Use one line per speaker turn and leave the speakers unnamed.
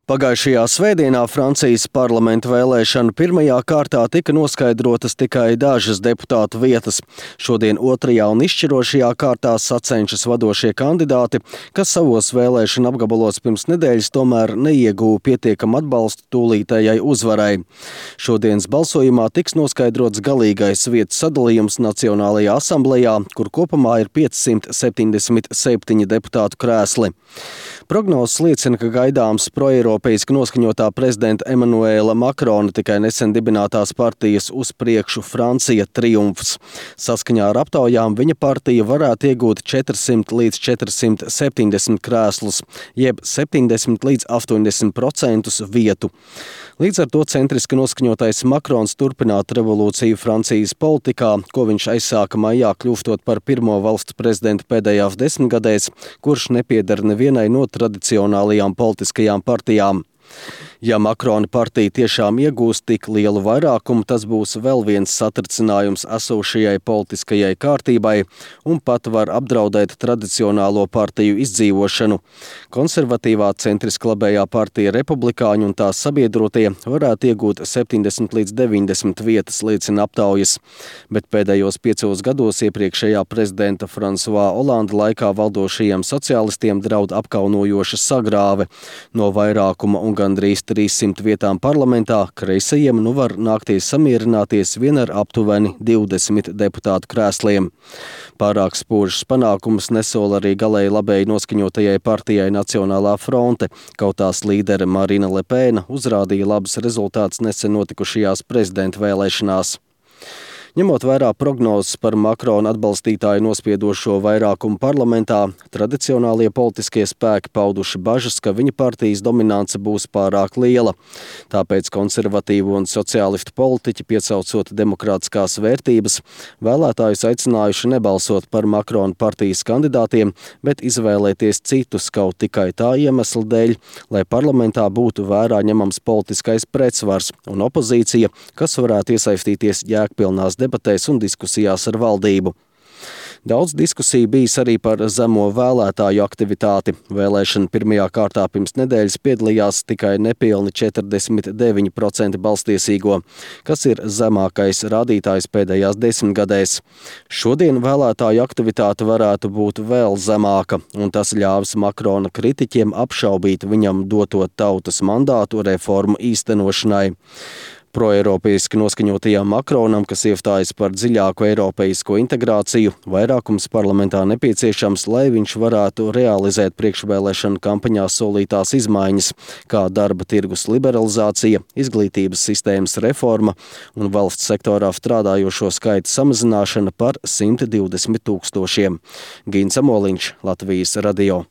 Pagājušajā svētdienā Francijas parlamenta vēlēšanu pirmajā kārtā tika noskaidrotas tikai dažas deputātu vietas. Šodien otrajā un izšķirošajā kārtā sacenšas vadošie kandidāti, kas savos vēlēšanu apgabalos pirms nedēļas tomēr neieguva pietiekamu atbalstu tūlītējai uzvarai. Šodienas balsojumā tiks noskaidrots galīgais vietas sadalījums Nacionālajā asamblejā, kur kopumā ir 577 deputātu krēsli. Prognozes liecina, ka gaidāms proeiropeiski noskaņotā prezidenta Emanuela Makrona tikai nesen dibinātās partijas Uz priekšu Francija triumfs. Saskaņā ar aptaujām viņa partija varētu iegūt 400 līdz 470 krēslus, jeb 70 līdz 80% vietu. Līdz ar to centriski noskaņotais Makrons turpinātu revolūciju Francijas politikā, ko viņš aizsāka maijā, kļūstot par pirmo valsts prezidentu pēdējās desmitgadēs, kurš nepieder nevienai no tradicionālajām politiskajām partijām. Ja Makrona partija tiešām iegūs tik lielu vairākumu, tas būs vēl viens satricinājums esošajai politiskajai kārtībai un pat var apdraudēt tradicionālo partiju izdzīvošanu. Konservatīvā centriski labējā partija Republikāņi un tās sabiedrotie varētu iegūt 70 līdz 90 vietas, liecina aptaujas. Bet pēdējos 5 gados iepriekšējā prezidenta François Hollande laikā valdošajiem sociālistiem draud apkaunojoša sagrāve. No vairākuma un gandrīz 300 vietām parlamentā kreisajiem nu var nākties samierināties vien ar aptuveni 20 deputātu krēsliem. Pārāk spožus panākumus nesola arī galēji labēji noskaņotajai partijai Nacionālā fronte, kaut tās līdere Marine Le Pen uzrādīja labus rezultātus nesen notikušajās prezidenta vēlēšanās. Ņemot vērā prognozes par Makrona atbalstītāju nospiedošo vairākumu parlamentā, tradicionālie politiskie spēki pauduši bažas, ka viņa partijas dominance būs pārāk liela. Tāpēc konservatīvu un sociālistu politiķi, piecaucot demokrātiskās vērtības, vēlētājus aicinājuši nebalsot par Makrona partijas kandidātiem, bet izvēlēties citus kaut tikai tā iemesla dēļ, lai parlamentā būtu vērā ņemams politiskais pretsvars un opozīcija, kas varētu iesaistīties jēgpilnās debatēs un diskusijās ar valdību. Daudz diskusiju bijis arī par zemo vēlētāju aktivitāti. Vēlēšana pirmajā kārtā pirms nedēļas piedalījās tikai nepilni 49% balstiesīgo, kas ir zemākais rādītājs pēdējās desmitgadēs. Šodien vēlētāju aktivitāte varētu būt vēl zemāka, un tas ļāvis Makrona kritiķiem apšaubīt viņam doto tautas mandātu reformu īstenošanai. Proeiropeiski noskaņotajām Makronam, kas iestājas par dziļāku eiropeisko integrāciju, vairākums parlamentā nepieciešams, lai viņš varētu realizēt priekšvēlēšanu kampaņā solītās izmaiņas, kā darba tirgus liberalizācija, izglītības sistēmas reforma un valsts sektorā strādājošo skaita samazināšana par 120 000. Gins Amoliņš, Latvijas radio.